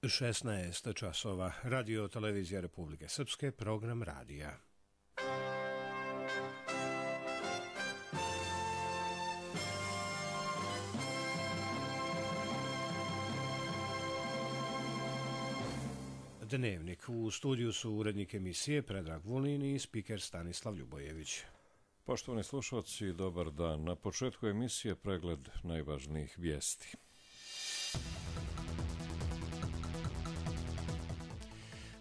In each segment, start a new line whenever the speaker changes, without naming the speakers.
16 časova. Radio televizija Republike Srpske, program radija. Dnevnik. U studiju su urednik emisije Predrag Vulin i spiker Stanislav Ljubojević.
Poštovani slušalci, dobar dan. Na početku emisije pregled najvažnijih vijesti.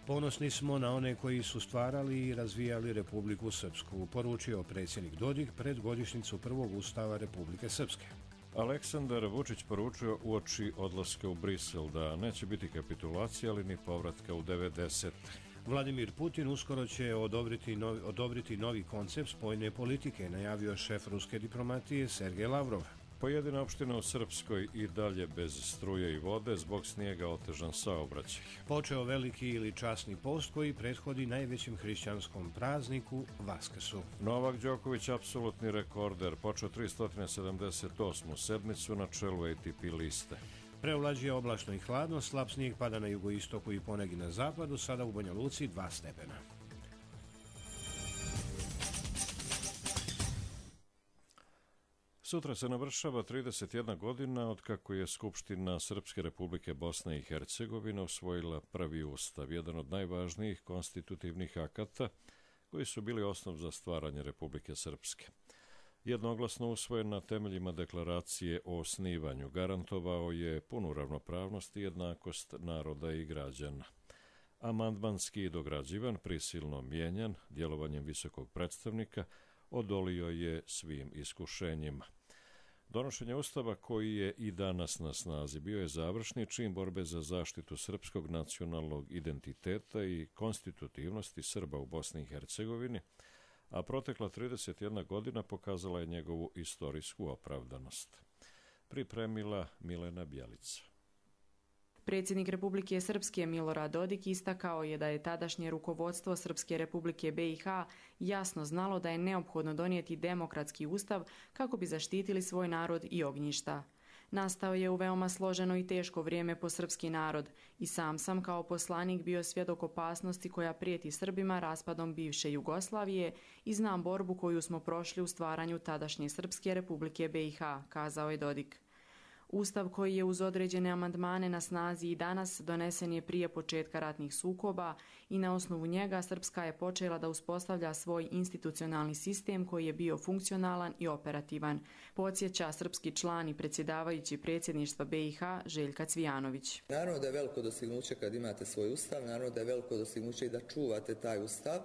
Ponosni smo na one koji su stvarali i razvijali Republiku Srpsku, poručio predsjednik Dodik pred godišnjicu prvog ustava Republike Srpske.
Aleksandar Vučić poručio uoči odlaska u Brisel da neće biti kapitulacije, ali ni povratka u 90.
Vladimir Putin uskoro će odobriti novi koncept spoljne politike, najavio šef ruske diplomatije Sergej Lavrov.
Pojedine opštine u Srpskoj i dalje bez struje i vode, zbog snijega otežan saobraćaj.
Počeo veliki ili časni post koji prethodi najvećem hrišćanskom prazniku Vaskrsu.
Novak Đoković, apsolutni rekorder, počeo 378. sedmicu na čelu ATP liste.
Preovlađuje oblačno i hladno, slab snijeg pada na jugoistoku i ponegi na zapadu, sada u Banja Luci 2 stepena.
Sutra se navršava 31 godina od kako je Skupština Srpske Republike Bosne i Hercegovine usvojila prvi ustav, jedan od najvažnijih konstitutivnih akata koji su bili osnov za stvaranje Republike Srpske. Jednoglasno usvojen na temeljima deklaracije o osnivanju, garantovao je punu ravnopravnost i jednakost naroda i građana. Amandmanski dograđivan, prisilno mijenjan, djelovanjem visokog predstavnika, odolio je svim iskušenjima. Donošenje ustava koji je i danas na snazi bio je završni čin borbe za zaštitu srpskog nacionalnog identiteta i konstitutivnosti Srba u Bosni i Hercegovini, a protekla 31 godina pokazala je njegovu istorijsku opravdanost. Pripremila Milena Bjelica.
Predsjednik Republike Srpske Milorad Dodik istakao je da je tadašnje rukovodstvo Srpske Republike BiH jasno znalo da je neophodno donijeti demokratski ustav kako bi zaštitili svoj narod i ognjišta. Nastao je u veoma složeno i teško vrijeme po srpski narod i sam sam kao poslanik bio svjedok opasnosti koja prijeti Srbima raspadom bivše Jugoslavije i znam borbu koju smo prošli u stvaranju tadašnje Srpske Republike BiH, kazao je Dodik. Ustav koji je uz određene amandmane na snazi i danas donesen je prije početka ratnih sukoba i na osnovu njega Srpska je počela da uspostavlja svoj institucionalni sistem koji je bio funkcionalan i operativan, podsjeća srpski član i predsjedavajući predsjedništva BiH Željka Cvijanović.
Naravno da je veliko dostignuće kad imate svoj ustav, naravno da je veliko dostignuće i da čuvate taj ustav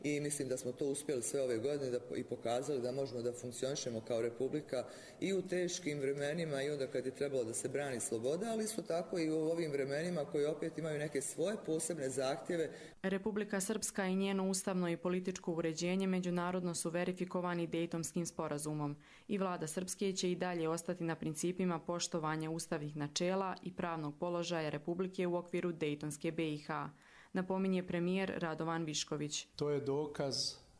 i mislim da smo to uspjeli sve ove godine i pokazali da možemo da funkcionišemo kao republika i u teškim vremenima i onda kad je trebalo da se brani sloboda, ali isto tako i u ovim vremenima koji opet imaju neke svoje posebne zahtjeve.
Republika Srpska i njeno ustavno i političko uređenje međunarodno su verifikovani Dejtonskim sporazumom i vlada Srpske će i dalje ostati na principima poštovanja ustavnih načela i pravnog položaja Republike u okviru Dejtonske BiH, napominje premijer Radovan Višković.
To je dokaz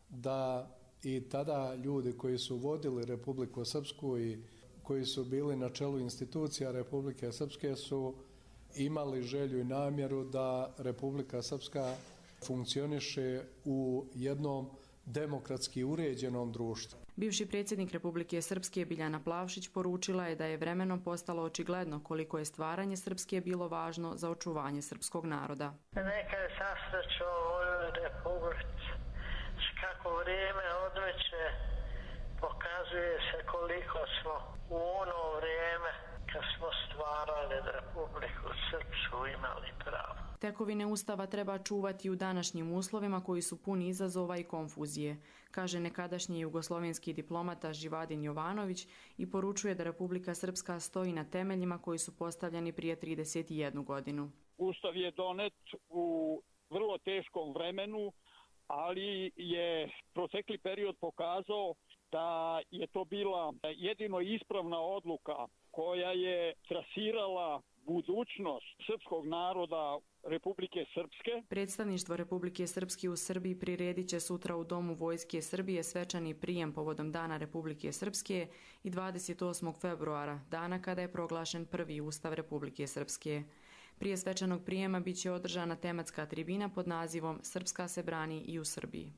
da i tada ljudi koji su vodili Republiku Srpsku i koji su bili na čelu institucija Republike Srpske su imali želju i namjeru da Republika Srpska funkcioniše u jednom demokratski uređenom društvu.
Bivši predsjednik Republike Srpske Biljana Plavšić poručila je da je vremenom postalo očigledno koliko je stvaranje Srpske bilo važno za očuvanje srpskog naroda.
Neka je sastaču ovoj Republici, kako vrijeme odmeće pokazuje se koliko smo u ono vrijeme kad smo stvarali Republiku Srpsku imali pravo.
Tekovine Ustava treba čuvati u današnjim uslovima koji su puni izazova i konfuzije, kaže nekadašnji jugoslovenski diplomata Živadin Jovanović i poručuje da Republika Srpska stoji na temeljima koji su postavljeni prije 31 godinu.
Ustav je donet u vrlo teškom vremenu, ali je protekli period pokazao da je to bila jedino ispravna odluka koja je trasirala budućnost srpskog naroda Republike Srpske.
Predstavništvo Republike Srpske u Srbiji priredit će sutra u Domu Vojske Srbije svečani prijem povodom Dana Republike Srpske i 28. februara, dana kada je proglašen prvi Ustav Republike Srpske. Prije svečanog prijema bit će održana tematska tribina pod nazivom Srpska se brani i u Srbiji.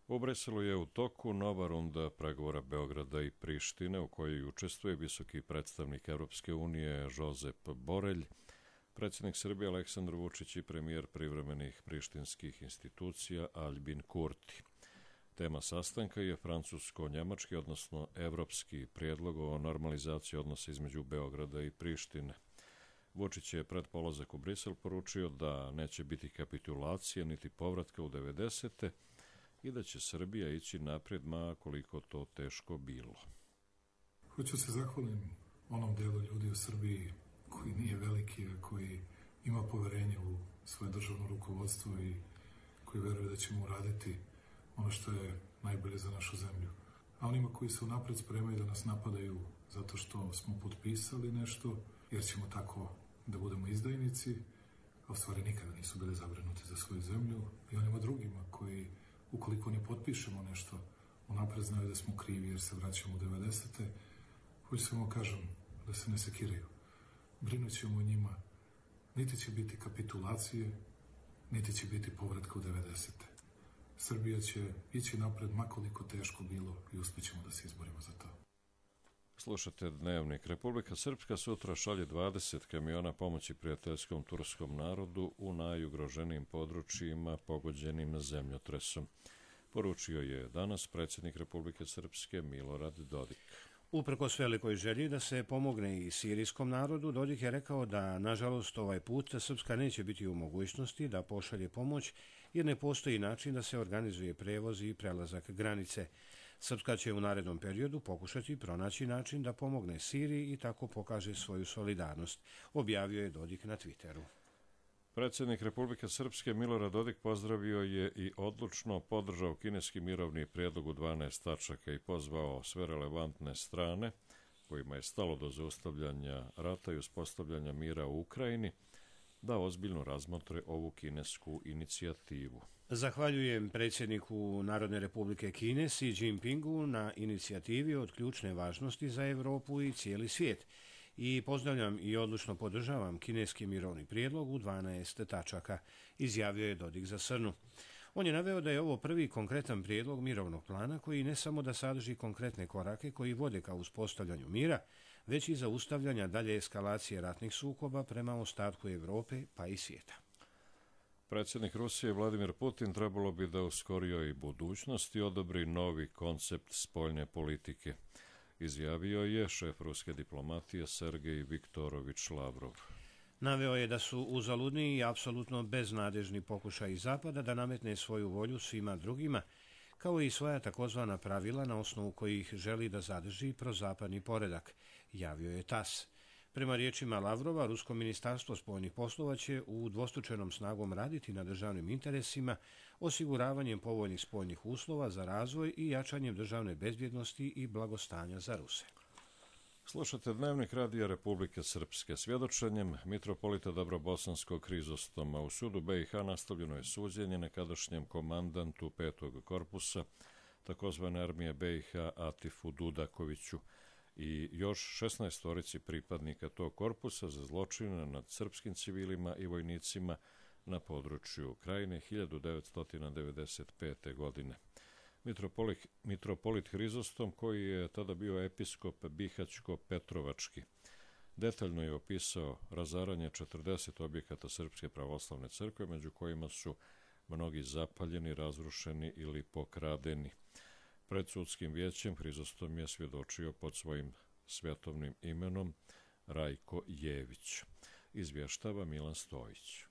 U Briselu je u toku nova runda pregovora Beograda i Prištine u kojoj učestvuje visoki predstavnik Europske unije Josep Borelj, predsjednik Srbije Aleksandar Vučić i premijer privremenih prištinskih institucija Aljbin Kurti. Tema sastanka je francusko-njemački, odnosno evropski prijedlog o normalizaciji odnosa između Beograda i Prištine. Vučić je pred polazak u Brisel poručio da neće biti kapitulacije niti povratka u 90. i da će Srbija ići naprijed, ma koliko to teško bilo.
Hoću se zahvalim onom delu ljudi u Srbiji koji nije veliki, a koji ima poverenje u svoje državno rukovodstvo i koji veruje da ćemo uraditi ono što je najbolje za našu zemlju. A onima koji se unapred spremaju da nas napadaju zato što smo potpisali nešto, jer ćemo tako da budemo izdajnici, a u stvari nikada nisu bili zabrinuti za svoju zemlju, i onima drugima koji, ukoliko ne potpišemo nešto, unapred znaju da smo krivi jer se vraćamo u 90. Hoću samo kažem da se ne sekiraju. Brinut ćemo o njima. Niti će biti kapitulacije, niti će biti povratka u 90. Srbija će ići napred makoliko teško bilo i uspjećemo da se izborimo za to.
Slušate Dnevnik. Republika Srpska sutra šalje 20 kamiona pomoći prijateljskom turskom narodu u najugroženijim područjima pogođenim zemljotresom. Poručio je danas predsjednik Republike Srpske Milorad Dodik.
Uprkos velikoj želji da se pomogne i sirijskom narodu, Dodik je rekao da, nažalost, ovaj put Srpska neće biti u mogućnosti da pošalje pomoć jer ne postoji način da se organizuje prevoz i prelazak granice. Srpska će u narednom periodu pokušati pronaći način da pomogne Siriji i tako pokaže svoju solidarnost, objavio je Dodik na Twitteru.
Predsjednik Republike Srpske Milorad Dodik pozdravio je i odlučno podržao kineski mirovni prijedlog u 12 tačaka i pozvao sve relevantne strane, kojima je stalo do zaustavljanja rata i uspostavljanja mira u Ukrajini, da ozbiljno razmotre ovu kinesku inicijativu.
Zahvaljujem predsjedniku Narodne republike Kine Xi Jinpingu na inicijativi od ključne važnosti za Europu i cijeli svijet i pozdravljam i odlučno podržavam kineski mirovni prijedlog u 12 tačaka, izjavio je Dodik za Srnu. On je naveo da je ovo prvi konkretan prijedlog mirovnog plana koji ne samo da sadrži konkretne korake koji vode ka uspostavljanju mira, već i zaustavljanja dalje eskalacije ratnih sukoba prema ostatku Europe pa i svijeta.
Predsjednik Rusije Vladimir Putin trebalo bi da u skorijoj budućnosti odobri novi koncept spoljne politike, izjavio je šef ruske diplomatije Sergej Viktorović Lavrov.
Naveo je da su uzaludni i apsolutno beznadežni pokušaji Zapada da nametne svoju volju svima drugima, kao i svoja takozvana pravila na osnovu kojih želi da zadrži prozapadni poredak, javio je TASS. Prema riječima Lavrova, Rusko ministarstvo spoljnih poslova će u dvostručenom snagom raditi na državnim interesima, osiguravanjem povoljnih spoljnih uslova za razvoj i jačanjem državne bezbjednosti i blagostanja za Ruse.
Slušate Dnevnik Radija Republike Srpske. Svjedočenjem mitropolita Dobrobosanskog Hrizostoma u sudu BiH nastavljeno je suđenje nekadašnjem komandantu 5. korpusa takozvane armije BiH Atifu Dudakoviću i još 16 pripadnika tog korpusa za zločine nad srpskim civilima i vojnicima na području Krajine 1995. godine. Mitropolit Hrizostom, koji je tada bio episkop Bihaćko-Petrovački, detaljno je opisao razaranje 40 objekata Srpske pravoslavne crkve, među kojima su mnogi zapaljeni, razrušeni ili pokradeni. Pred sudskim vijećem Hrizostom je svjedočio pod svojim svjetovnim imenom Rajko Jević. Izvještava Milan Stojić.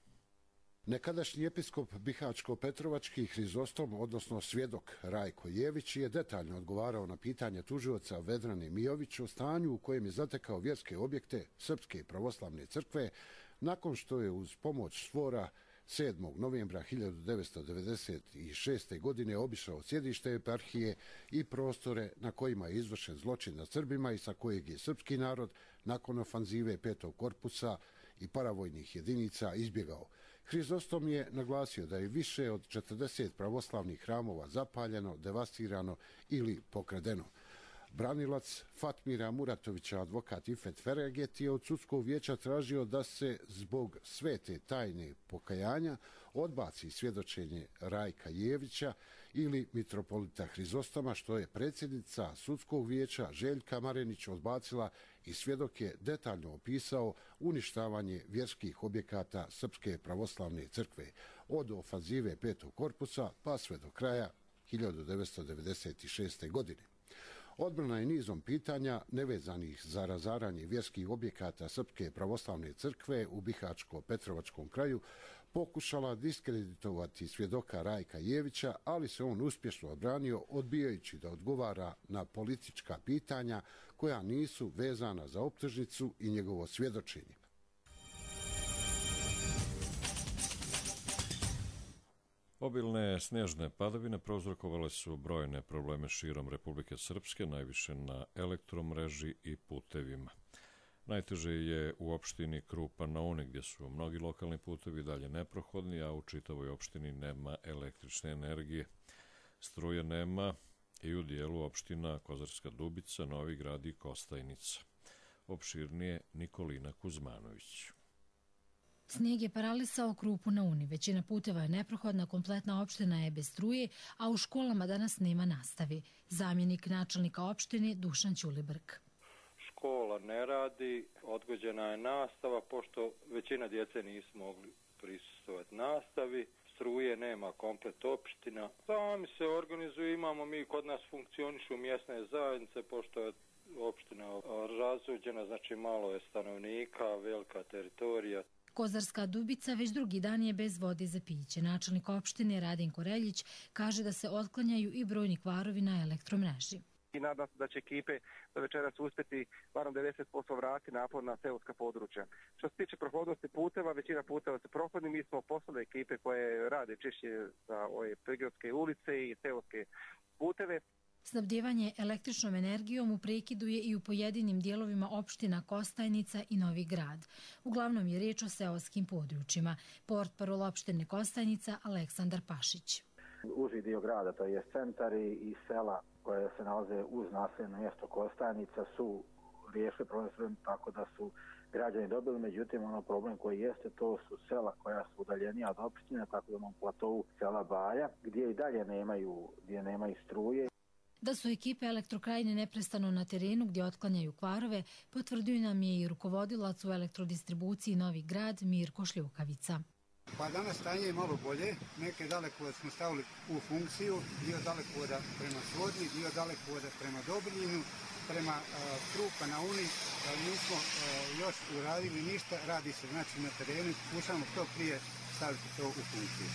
Nekadašnji episkop Bihaćko-Petrovački Hrizostom, odnosno svjedok Rajko Jević, je detaljno odgovarao na pitanje tužioca Vedrane Mijović o stanju u kojem je zatekao vjerske objekte Srpske pravoslavne crkve nakon što je uz pomoć SVOR-a 7. novembra 1996. godine obišao sjedište eparhije i prostore na kojima je izvršen zločin nad Srbima i sa kojeg je srpski narod nakon ofanzive 5. korpusa i paravojnih jedinica izbjegao. Hrizostom je naglasio da je više od 40 pravoslavnih hramova zapaljeno, devastirano ili pokradeno. Branilac Fatmira Muratovića, advokat Ifet Fereget, je od sudskog vijeća tražio da se zbog svete tajne pokajanja odbaci svjedočenje Rajka Jevića ili mitropolita Hrizostoma, što je predsjednica sudskog vijeća Željka Marenić odbacila i svjedok je detaljno opisao uništavanje vjerskih objekata Srpske pravoslavne crkve od ofanzive 5. korpusa pa sve do kraja 1996. godine. Odbrana je nizom pitanja nevezanih za razaranje vjerskih objekata Srpske pravoslavne crkve u Bihačko-Petrovačkom kraju pokušala diskreditovati svjedoka Rajka Jevića, ali se on uspješno odbranio odbijajući da odgovara na politička pitanja koja nisu vezana za optužnicu i njegovo svjedočenje.
Obilne snježne padavine prouzrokovale su brojne probleme širom Republike Srpske, najviše na elektromreži i putevima. Najteže je u opštini Krupa na Uni, gdje su mnogi lokalni putevi dalje neprohodni, a u čitavoj opštini nema električne energije. Struje nema i u dijelu opština Kozarska Dubica, Novi Grad i Kostajnica. Opširnije Nikolina Kuzmanović.
Snijeg je paralisao Krupu na Uni. Većina puteva je neprohodna, kompletna opština je bez struje, a u školama danas nema nastavi. Zamjenik načelnika opštine Dušan Ćulibrk.
Škola ne radi, odgođena je nastava, pošto većina djece nisu mogli prisustvovati nastavi. Struje nema komplet opština. Sami se organizuju, imamo mi kod nas funkcionišu mjesne zajednice, pošto je opština razuđena, znači malo je stanovnika, velika teritorija.
Kozarska Dubica već drugi dan je bez vode za piće. Načelnik opštine Radinko Reljić kaže da se otklanjaju i brojni kvarovi na elektromreži.
I nadam se da će ekipe do večeras uspjeti barem 90% vratiti napor na seoska područja. Što se tiče prohodnosti puteva, većina puteva su prohodni. Mi smo poslali ekipe koje rade češće za ove prigradske ulice i seoske puteve.
Snabdjevanje električnom energijom u prekidu je i u pojedinim dijelovima opština Kostajnica i Novi Grad. Uglavnom je riječ o seoskim područjima. Portparol opštine Kostajnica Aleksandar Pašić.
Uži dio grada, to je centar i sela koje se nalaze uz naseljeno mjesto Kostajnica su riješili problem tako da su građani dobili, međutim ono problem koji jeste, to su sela koja su udaljenija od opštine, tako da na platovu sela Baja, gdje i dalje nemaju struje.
Da su ekipe Elektrokrajine neprestano na terenu gdje otklanjaju kvarove, potvrdio nam je i rukovodilac u elektrodistribuciji Novi Grad Mirko Šljukavica.
Pa danas stanje je malo bolje, neke dalekovode smo stavili u funkciju, dio dalekovoda prema Svodni, dio dalekovoda prema Dobrinjinu, prema Krupa na Uni, nismo još uradili ništa, radi se znači na terenu, pokušamo što prije staviti to u funkciju.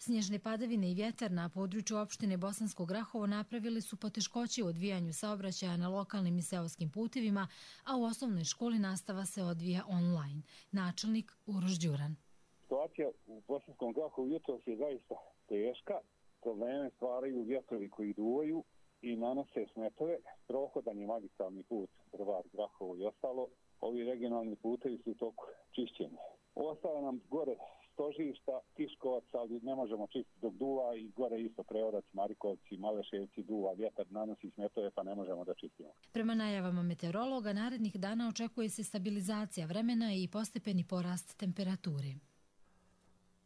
Snježne padavine i vjetar na području opštine Bosansko Grahovo napravili su poteškoće u odvijanju saobraćaja na lokalnim i seoskim putevima, a u osnovnoj školi nastava se odvija online. Načelnik Uroš Đuran.
Situacija u Bosanskom Grahovu jutros je zaista teška. Probleme stvaraju vjetrovi koji duvaju i nanose smetove. Prohodan je magistralni put Drvar, Grahovo i ostalo. Ovi regionalni putevi su u toku čišćenja. Ostale nam gore Stožišta, Tiškovac, ali ne možemo čistiti dok duva i gore isto Preorac, Marikovci, Maleševci, duva, vjetar nanosi smetove pa ne možemo da čistimo.
Prema najavama meteorologa, narednih dana očekuje se stabilizacija vremena i postepeni porast temperature.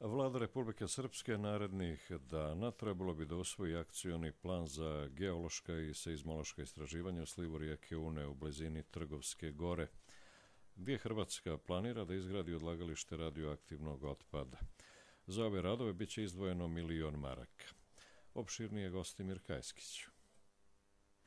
Vlada Republike Srpske narednih dana trebalo bi da usvoji akcioni plan za geološka i seizmološka istraživanja u slivu rijeke Une u blizini Trgovske gore, gdje Hrvatska planira da izgradi odlagalište radioaktivnog otpada. Za ove radove bit će izdvojeno 1.000.000 maraka. Opširnije Gostimir Kajskić.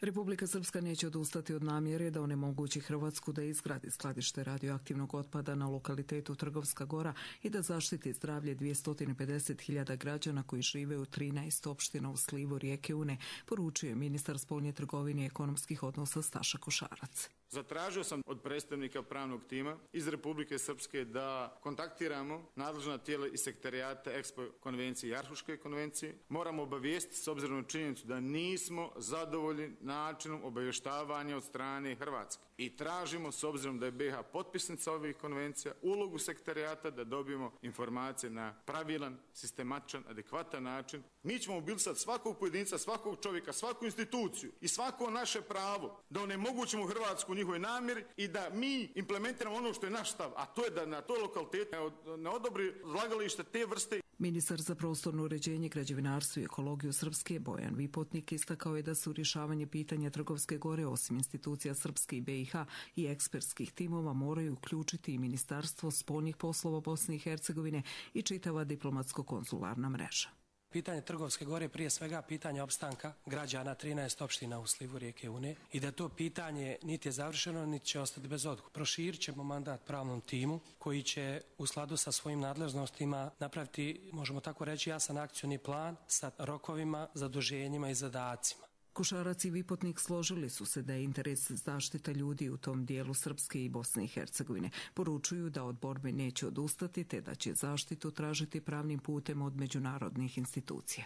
Republika Srpska neće odustati od namjere da onemogući Hrvatsku da izgradi skladište radioaktivnog otpada na lokalitetu Trgovska gora i da zaštiti zdravlje 250.000 građana koji žive u 13 opština u slivu rijeke Une, poručuje ministar spoljne trgovine i ekonomskih odnosa Staša Košarac.
Zatražio sam od predstavnika pravnog tima iz Republike Srpske da kontaktiramo nadležna tijela iz sektarijata EXPO konvencije i Arhuške konvencije. Moramo obavijestiti s obzirom na činjenicu da nismo zadovoljni načinom obavještavanja od strane Hrvatske. i tražimo, s obzirom da je BiH potpisnica ovih konvencija, ulogu sekretarijata da dobijemo informacije na pravilan, sistematičan, adekvatan način. Mi ćemo mobilisati svakog pojedinca, svakog čovjeka, svaku instituciju i svako naše pravo da onemogućimo Hrvatsku u njihovoj namjeri i da mi implementiramo ono što je naš stav, a to je da na toj lokalitetu ne odobri odlagalište te vrste.
Ministar za prostorno uređenje, građevinarstvo i ekologiju Srpske Bojan Vipotnik istakao je da su rješavanje pitanja Trgovske gore osim institucija Srpske i BiH i ekspertskih timova moraju uključiti i Ministarstvo spoljnih poslova Bosne i Hercegovine i čitava diplomatsko-konzularna mreža.
Pitanje Trgovske gore prije svega pitanje opstanka građana 13 opština u slivu rijeke Une i da to pitanje niti je završeno, niti će ostati bez odgovora. Proširit ćemo mandat pravnom timu koji će u skladu sa svojim nadležnostima napraviti, možemo tako reći, jasan akcioni plan sa rokovima, zaduženjima i zadacima.
Košarac i Vipotnik složili su se da je interes zaštita ljudi u tom dijelu Srpske i Bosne i Hercegovine. Poručuju da od borbe neće odustati te da će zaštitu tražiti pravnim putem od međunarodnih institucija.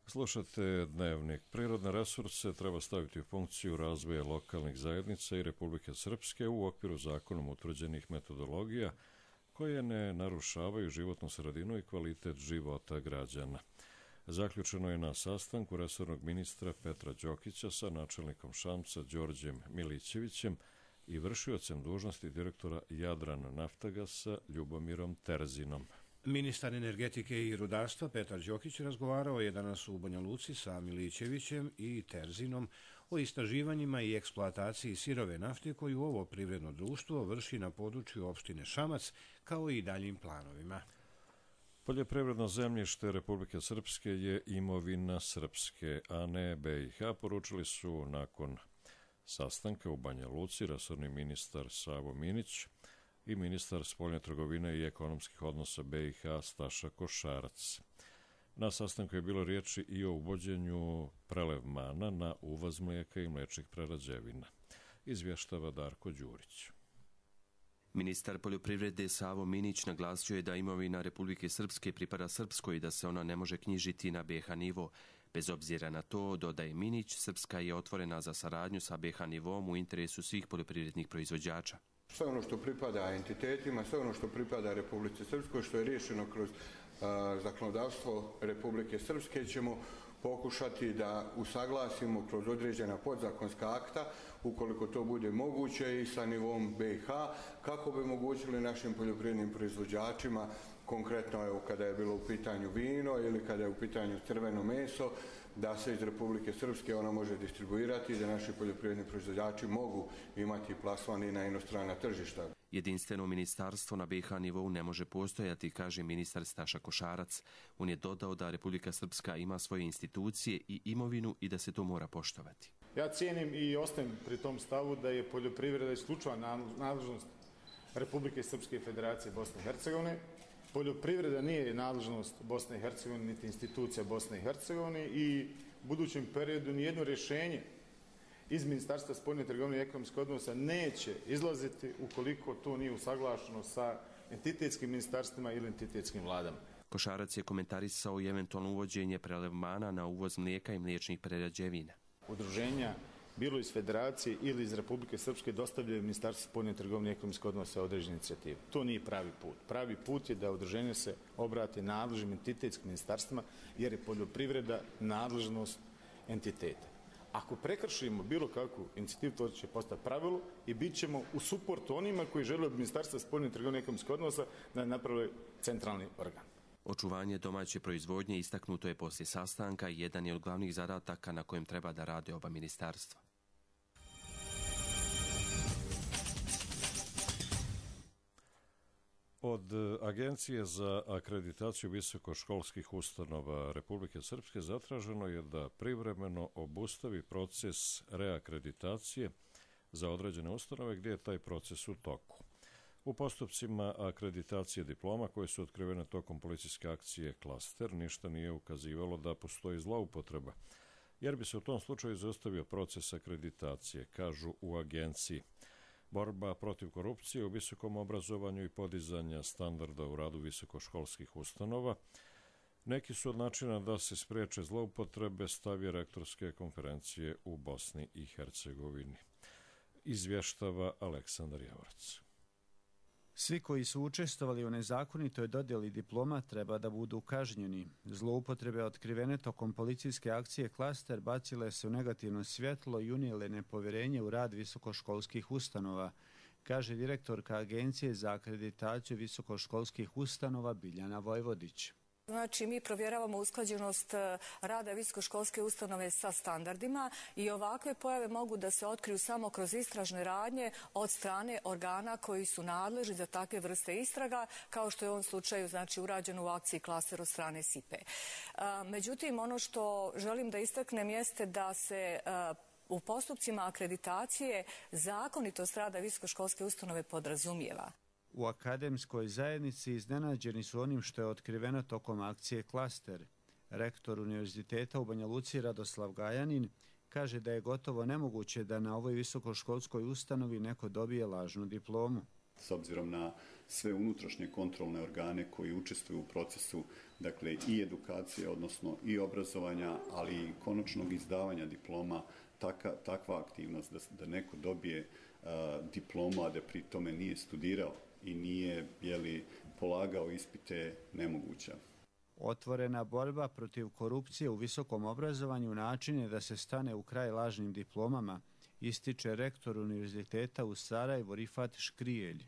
Slušate Dnevnik. Prirodne resurse treba staviti u funkciju razvoja lokalnih zajednica i Republike Srpske u okviru zakonom utvrđenih metodologija koje ne narušavaju životnu sredinu i kvalitet života građana. Zaključeno je na sastanku resornog ministra Petra Đokića sa načelnikom Šamca Đorđem Milićevićem i vršiocem dužnosti direktora Jadran Naftagasa Ljubomirom Terzinom.
Ministar energetike i rudarstva Petar Đokić razgovarao je danas u Banja Luci sa Milićevićem i Terzinom o istraživanjima i eksploataciji sirove nafte koju ovo privredno društvo vrši na području opštine Šamac, kao i daljim planovima.
Poljoprivredno zemljište Republike Srpske je imovina Srpske, a ne BiH, poručili su nakon sastanka u Banja Luci resorni ministar Savo Minić i ministar spoljne trgovine i ekonomskih odnosa BiH Staša Košarac. Na sastanku je bilo riječi i o uvođenju prelevmana na uvoz mlijeka i mliječnih prerađevina. Izvještava Darko Đurić.
Ministar poljoprivrede Savo Minić naglasio je da imovina Republike Srpske pripada Srpskoj i da se ona ne može knjižiti na BiH nivo. Bez obzira na to, dodaje Minić, Srpska je otvorena za saradnju sa BiH nivom u interesu svih poljoprivrednih proizvođača.
Sve ono što pripada entitetima, sve ono što pripada Republici Srpskoj, što je riješeno kroz zakonodavstvo Republike Srpske, ćemo pokušati da usaglasimo kroz određena podzakonska akta, ukoliko to bude moguće, i sa nivom BiH, kako bi omogućili našim poljoprivrednim proizvođačima, konkretno evo kada je bilo u pitanju vino ili kada je u pitanju crveno meso, da se iz Republike Srpske ona može distribuirati i da naši poljoprivredni proizvođači mogu imati plasman i na inostrana tržišta.
Jedinstveno ministarstvo na BiH nivou ne može postojati, kaže ministar Staša Košarac. On je dodao da Republika Srpska ima svoje institucije i imovinu i da se to mora poštovati.
Ja cijenim i ostajem pri tom stavu da je poljoprivreda isključiva nadležnost Republike Srpske i Federacije Bosne i Hercegovine. Poljoprivreda nije nadležnost Bosne i Hercegovine niti institucija Bosne i Hercegovine i u budućem periodu nijedno rješenje iz Ministarstva spoljne trgovine i ekonomskih odnosa neće izlaziti ukoliko to nije usaglašeno sa entitetskim ministarstvima ili entitetskim vladama.
Košarac je komentarisao i eventualno uvođenje prelevmana na uvoz mlijeka i mliječnih prerađevina.
Udruženja, bilo iz Federacije ili iz Republike Srpske, dostavljaju Ministarstvo spoljne trgovine i ekonomskih odnosa određene inicijative. To nije pravi put. Pravi put je da udruženje se obrate nadležnim entitetskim ministarstvima, jer je poljoprivreda nadležnost entiteta. Ako prekršimo bilo kakvu inicijativu, to će postati pravilo i bit ćemo u suportu onima koji žele od Ministarstva spoljne trgovine i ekonomskih odnosa da naprave centralni organ.
Očuvanje domaće proizvodnje istaknuto je poslije sastanka i jedan je od glavnih zadataka na kojem treba da rade oba ministarstva.
Od Agencije za akreditaciju visokoškolskih ustanova Republike Srpske zatraženo je da privremeno obustavi proces reakreditacije za određene ustanove gdje je taj proces u toku. U postupcima akreditacije diploma koje su otkrivene tokom policijske akcije Klaster ništa nije ukazivalo da postoji zloupotreba, jer bi se u tom slučaju izostavio proces akreditacije, kažu u agenciji. Borba protiv korupcije u visokom obrazovanju i podizanja standarda u radu visokoškolskih ustanova neki su od načina da se spriječe zloupotrebe stavi rektorske konferencije u Bosni i Hercegovini. izvještava Aleksandar Javorac.
Svi koji su učestvovali u nezakonitoj dodjeli diploma treba da budu kažnjeni. Zloupotrebe otkrivene tokom policijske akcije Klaster bacile se u negativno svjetlo i unijele nepovjerenje u rad visokoškolskih ustanova, kaže direktorka Agencije za akreditaciju visokoškolskih ustanova Biljana Vojvodić.
Znači, mi provjeravamo usklađenost rada visokoškolske ustanove sa standardima i ovakve pojave mogu da se otkriju samo kroz istražne radnje od strane organa koji su nadležni za takve vrste istraga, kao što je u ovom slučaju znači, urađeno u akciji Klaster od strane SIPE. Međutim, ono što želim da istaknem jeste da se u postupcima akreditacije zakonitost rada visokoškolske ustanove podrazumijeva.
U akademskoj zajednici iznenađeni su onim što je otkriveno tokom akcije Klaster. Rektor Univerziteta u Banja Luci Radoslav Gajanin kaže da je gotovo nemoguće da na ovoj visokoškolskoj ustanovi neko dobije lažnu diplomu.
S obzirom na sve unutrašnje kontrolne organe koji učestvuju u procesu, dakle i edukacije, odnosno i obrazovanja, ali i konačnog izdavanja diploma, takva aktivnost da neko dobije diplomu, a da pri tome nije studirao i nije polagao ispite nemoguća.
Otvorena borba protiv korupcije u visokom obrazovanju način je da se stane u kraj lažnim diplomama, ističe rektor Univerziteta u Sarajevu Rifat Škrijelj.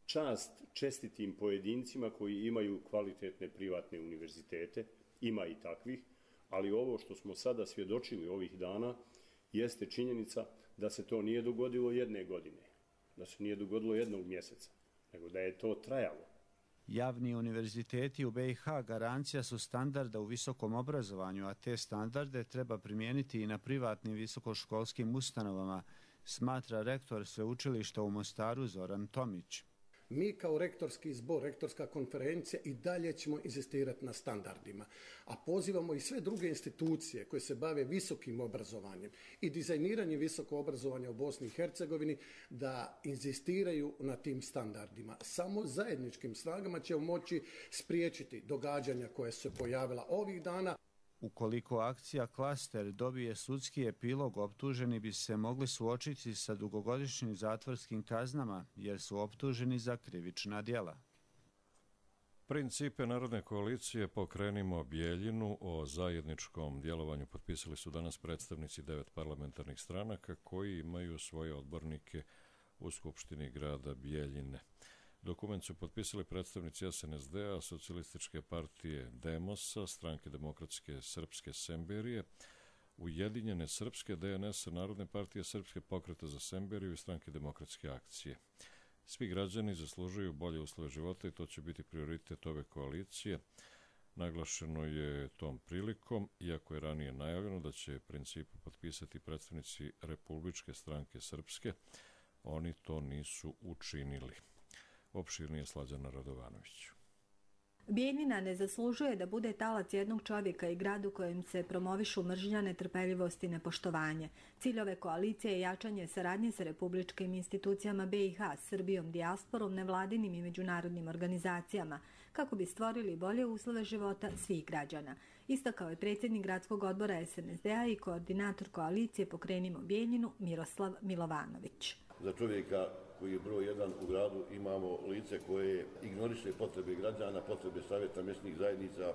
Čast čestitim pojedincima koji imaju kvalitetne privatne univerzitete, ima i takvih, ali ovo što smo sada svjedočili ovih dana jeste činjenica da se to nije dogodilo jedne godine, da se nije dogodilo jednog mjeseca, nego da je to trajalo.
Javni univerziteti u BiH garancija su standarda u visokom obrazovanju, a te standarde treba primijeniti i na privatnim visokoškolskim ustanovama, smatra rektor sveučilišta u Mostaru Zoran Tomić.
Mi kao rektorski zbor, rektorska konferencija i dalje ćemo inzistirati na standardima, a pozivamo i sve druge institucije koje se bave visokim obrazovanjem i dizajniranjem visokog obrazovanja u Bosni i Hercegovini da inzistiraju na tim standardima. Samo zajedničkim snagama ćemo moći spriječiti događanja koje su se pojavila ovih dana.
Ukoliko akcija Klaster dobije sudski epilog, optuženi bi se mogli suočiti sa dugogodišnjim zatvorskim kaznama, jer su optuženi za krivična djela.
Principe Narodne koalicije Pokrenimo Bijeljinu o zajedničkom djelovanju potpisali su danas predstavnici 9 parlamentarnih stranaka koji imaju svoje odbornike u Skupštini grada Bijeljine. Dokument su potpisali predstavnici SNSD-a, Socijalističke partije Demosa, Stranke demokratske srpske Semberije, Ujedinjene srpske DNS, Narodne partije Srpske pokreta za Semberiju i Stranke demokratske akcije. Svi građani zaslužuju bolje uslove života i to će biti prioritet ove koalicije. Naglašeno je tom prilikom, iako je ranije najavljeno da će principu potpisati predstavnici Republičke stranke Srpske, oni to nisu učinili. Opširnije Slađana Radovanović.
Bijeljina ne zaslužuje da bude talac jednog čovjeka i gradu kojim se promovišu mržnja, netrpeljivost i nepoštovanje. Cilj ove koalicije je jačanje saradnje sa republičkim institucijama BiH, Srbijom, dijasporom, nevladinim i međunarodnim organizacijama, kako bi stvorili bolje uslove života svih građana. Istakao je predsjednik gradskog odbora SNSD-a i koordinator koalicije Pokrenimo Bijeljinu Miroslav Milovanović.
Za čovjeka koji je broj 1 u gradu imamo lice koje ignoriše potrebe građana, potrebe savjeta mjesnih zajednica,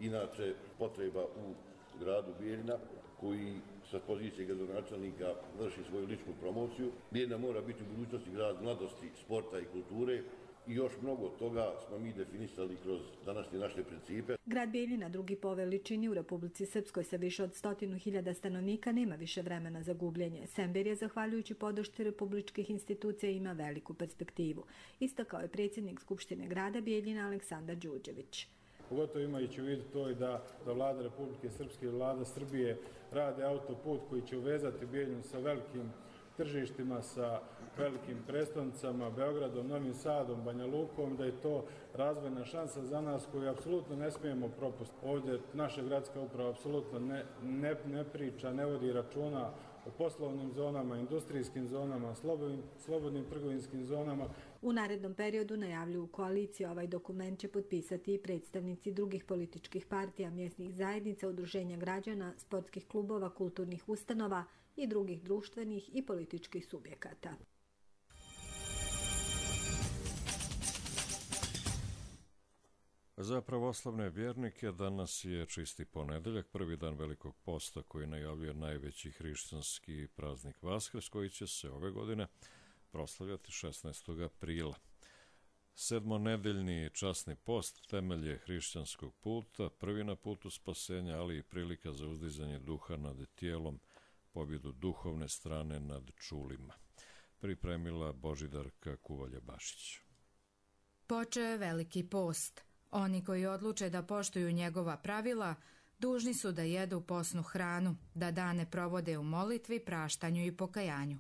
inače potreba u gradu Bijeljina, koji sa pozicije gradonačelnika vrši svoju ličnu promociju. Bijeljina mora biti u budućnosti grad mladosti, sporta i kulture i još mnogo toga smo mi definisali kroz današnje naše principe.
Grad Bijeljina, drugi po veličini u Republici Srpskoj sa više od 100.000 stanovnika, nema više vremena za gubljenje. Semberija, zahvaljujući podršci republičkih institucija, ima veliku perspektivu. Istakao je predsjednik Skupštine grada Bijeljina Aleksandar Đurđević.
Pogotovo imajući u vidu to i da vlada Republike Srpske i vlada Srbije rade autoput koji će uvezati Bijeljinu sa velikim tržištima, sa velikim prestonicama, Beogradom, Novim Sadom, Banja Lukom, da je to razvojna šansa za nas koju apsolutno ne smijemo propustiti. Ovdje naša gradska uprava apsolutno ne priča, ne vodi računa o poslovnim zonama, industrijskim zonama, slobodnim trgovinskim zonama.
U narednom periodu, najavljuju koaliciju, ovaj dokument će potpisati i predstavnici drugih političkih partija, mjesnih zajednica, udruženja građana, sportskih klubova, kulturnih ustanova, i drugih društvenih i političkih subjekata.
Za pravoslavne vjernike danas je čisti ponedeljak, prvi dan Velikog posta koji najavljuje najveći hrišćanski praznik Vaskrs, koji će se ove godine proslavljati 16. aprila. Sedmonedeljni časni post temelj je hrišćanskog puta, prvi na putu spasenja, ali i prilika za uzdizanje duha nad tijelom, pobjedu duhovne strane nad čulima. Pripremila Božidarka Kuvalja-Bašić.
Počeo je Veliki post. Oni koji odluče da poštuju njegova pravila, dužni su da jedu posnu hranu, da dane provode u molitvi, praštanju i pokajanju.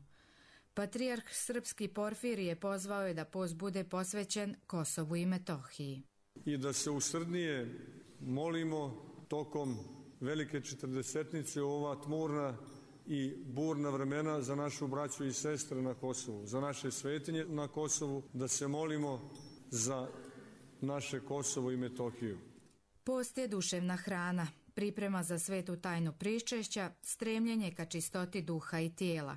Patrijarh srpski Porfirije pozvao je da post bude posvećen Kosovu i Metohiji.
I da se usrdnije molimo tokom velike četrdesetnice u ova tmurna i burna vremena za našu braću i sestre na Kosovu, za naše svetinje na Kosovu, da se molimo za naše Kosovo i Metohiju.
Post je duševna hrana, priprema za svetu tajnu pričešća, stremljenje ka čistoti duha i tijela.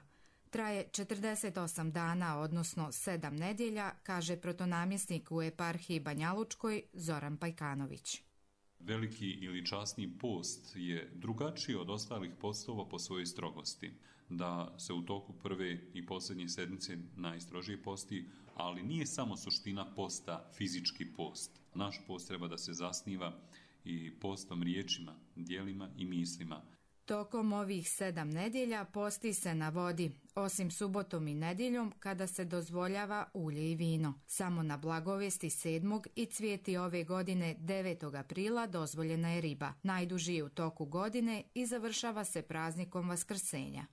Traje 48 dana, odnosno 7 nedjelja, kaže protonamjesnik u eparhiji Banjalučkoj Zoran Pajkanović.
Veliki ili časni post je drugačiji od ostalih postova po svojoj strogosti. Da se u toku prve i posljednje sedmice najstrožije posti, ali nije samo suština posta fizički post. Naš post treba da se zasniva i postom riječima, djelima i mislima.
Tokom ovih 7 nedjelja posti se na vodi, osim subotom i nedjeljom kada se dozvoljava ulje i vino. Samo na Blagovesti 7. i Cvijeti ove godine 9. aprila dozvoljena je riba. Najduži je u toku godine i završava se praznikom Vaskrsenja.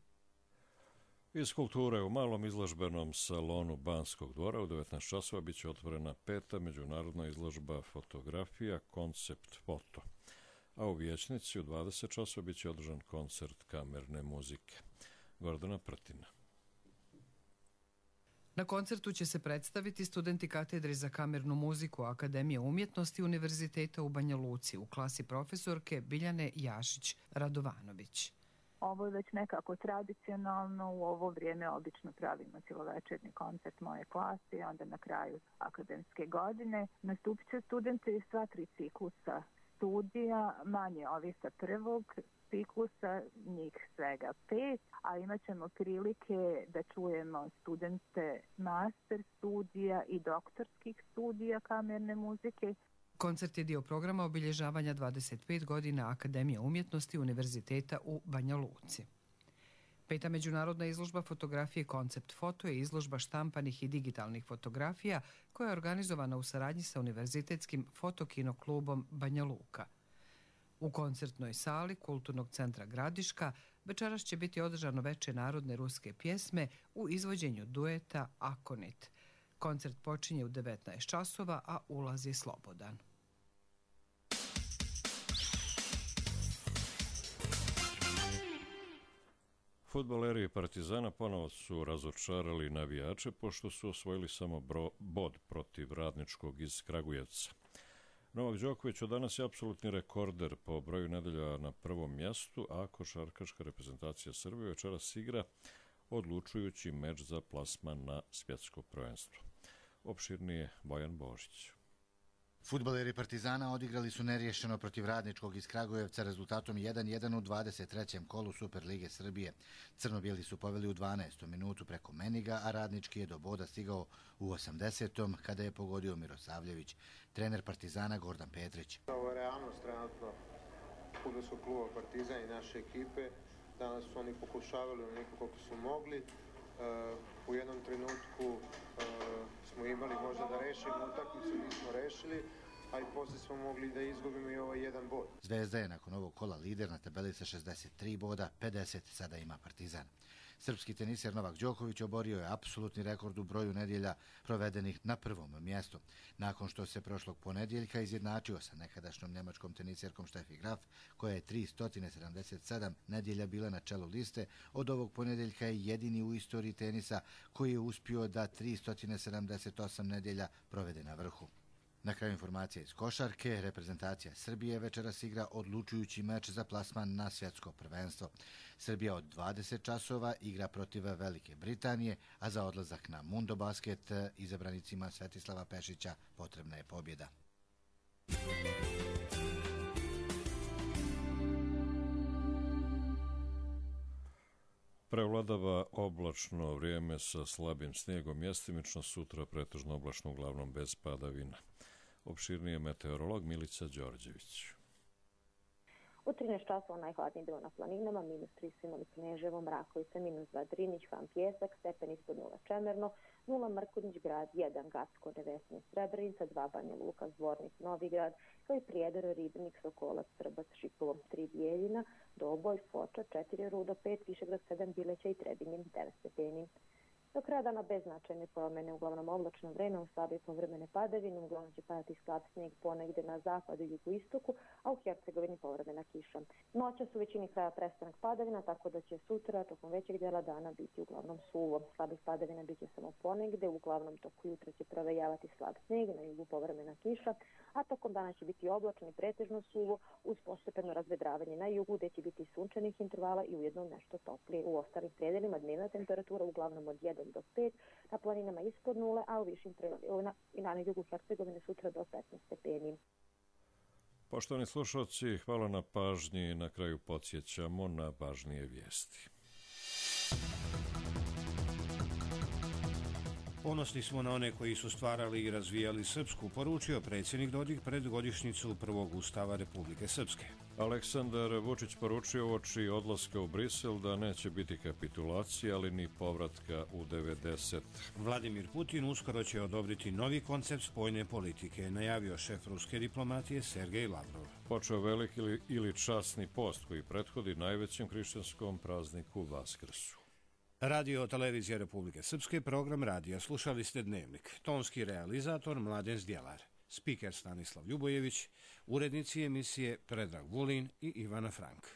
Iz kulture u malom izložbenom salonu Banskog dvora u 19 časova bit će otvorena 5. međunarodna izložba fotografija Koncept foto. A u vijećnici u 20 časova bit će održan koncert kamerne muzike. Gordana Prtina.
Na koncertu će se predstaviti studenti katedre za kamernu muziku Akademije umjetnosti Univerziteta u Banja Luci u klasi profesorke Biljane Jašić-Radovanović.
Ovo je već nekako tradicionalno, u ovo vrijeme obično pravimo cjelovečernji koncert moje klase, onda na kraju akademske godine. Nastupit će studenti iz sva 3 ciklusa studija, manje ovi sa prvog ciklusa, njih svega 5, a imat ćemo prilike da čujemo studente master studija i doktorskih studija kamerne muzike.
Koncert je dio programa obilježavanja 25 godina Akademije umjetnosti Univerziteta u Banja Luci. 5. međunarodna izložba fotografije Koncept foto je izložba štampanih i digitalnih fotografija koja je organizovana u saradnji sa Univerzitetskim fotokinoklubom Banja Luka. U koncertnoj sali Kulturnog centra Gradiška večeras će biti održano veče narodne ruske pjesme u izvođenju dueta Akonit. Koncert počinje u 19 časova, a ulaz je slobodan.
Fudbaleri Partizana ponovo su razočarali navijače pošto su osvojili samo bod protiv Radničkog iz Kragujevca. Novak Đoković od danas je apsolutni rekorder po broju nedelja na prvom mjestu, a košarkaška reprezentacija Srbije večeras igra odlučujući meč za plasman na svjetsko prvenstvo. Opširnije Bojan Božić.
Fudbaleri Partizana odigrali su neriješeno protiv Radničkog iz Kragujevca rezultatom 1-1 u 23. kolu Superlige Srbije. Crno-bijeli su poveli u 12. minutu preko Meniga, a Radnički je do boda stigao u 80. kada je pogodio Mirosavljević. Trener Partizana Gordan Petrić.
Ovo je realnost trenutno fudbalskog kluba Partizan i naše ekipe. Danas su oni pokušavali onoliko koliko su mogli. U jednom trenutku smo imali možda da rešimo utakmicu, nismo rešili, a i poslije smo mogli da izgubimo i ovaj jedan bod.
Zvezda je nakon ovog kola lider na tabeli sa 63 boda, 50 sada ima Partizan. Srpski teniser Novak Đoković oborio je apsolutni rekord u broju nedjelja provedenih na prvom mjestu. Nakon što se prošlog ponedjeljka izjednačio sa nekadašnjom njemačkom teniserkom Steffi Graf, koja je 377 nedjelja bila na čelu liste, od ovog ponedjeljka je jedini u istoriji tenisa koji je uspio da 378 nedjelja provede na vrhu. Na kraju informacije iz košarke, reprezentacija Srbije večeras igra odlučujući meč za plasman na svjetsko prvenstvo. Srbija od 20 časova igra protiv Velike Britanije, a za odlazak na Mundo Basket izabranicima Svetislava Pešića potrebna je pobjeda.
Prevladava oblačno vrijeme sa slabim snijegom, mjestimično, sutra pretežno oblačno, uglavnom bez padavina. Opširnije meteorolog Milica Đorđević.
U 13 časova najhladniji bilo na planinama, -3 su imali Kneževo, Mrakovica, -2 Drinić, Van Pjesak, stepen ispod 0 Čemerno, 0 Mrkonjić grad, 1 Gacko, Nevesni, Srebrenica, 2 Banja Luka, Zvornik, Novigrad, kao i Prijedor, Ribnik, Sokolac, Srbac, Šipovo, 3 Bijeljina, Doboj, Foča, 4 Rudo, 5 Višegrad, 7 Bileća i Trebinje, 9 stepeni. Do kraja dana bez značajne promjene, uglavnom oblačno vreme, u slabije povremene padavine, uglavnom će padati slab snijeg ponegde na zapadu i jugoistoku, a u Hercegovini povremena kiša. Noćas u većini kraja prestanak padavina, tako da će sutra tokom većeg djela dana biti uglavnom suvo. Slabih padavina biće samo ponegde, uglavnom toku jutra će provejavati slab snijeg, na jugu povremena kiša, a tokom dana će biti oblačno i pretežno suvo, uz postepeno razvedravanje na jugu, gdje će biti sunčanih intervala i ujedno nešto toplije. U ostalim predelima dnevna temperatura uglavnom od 1 do 5, na planinama ispod 0, a u višim predelima i na jugu Hercegovine sutra do 15 stepeni.
Poštovani slušalci, hvala na pažnji. Na kraju podsjećamo na važnije vijesti.
Ponosni smo na one koji su stvarali i razvijali srpsku, poručio predsjednik Dodik pred godišnjicu prvog ustava Republike Srpske.
Aleksandar Vučić poručio uoči odlaska u Brisel da neće biti kapitulacije, ali ni povratka u 90.
Vladimir Putin uskoro će odobriti novi koncept spoljne politike, najavio šef ruske diplomatije Sergej Lavrov.
Počeo veliki ili časni post koji prethodi najvećem hrišćanskom prazniku Vaskrsu.
Radio televizija Republike Srpske, program radija. Slušali ste Dnevnik. Tonski realizator Mladen Zdjelar. Spiker Stanislav Ljubojević. Urednici emisije Predrag Vulin i Ivana Frank.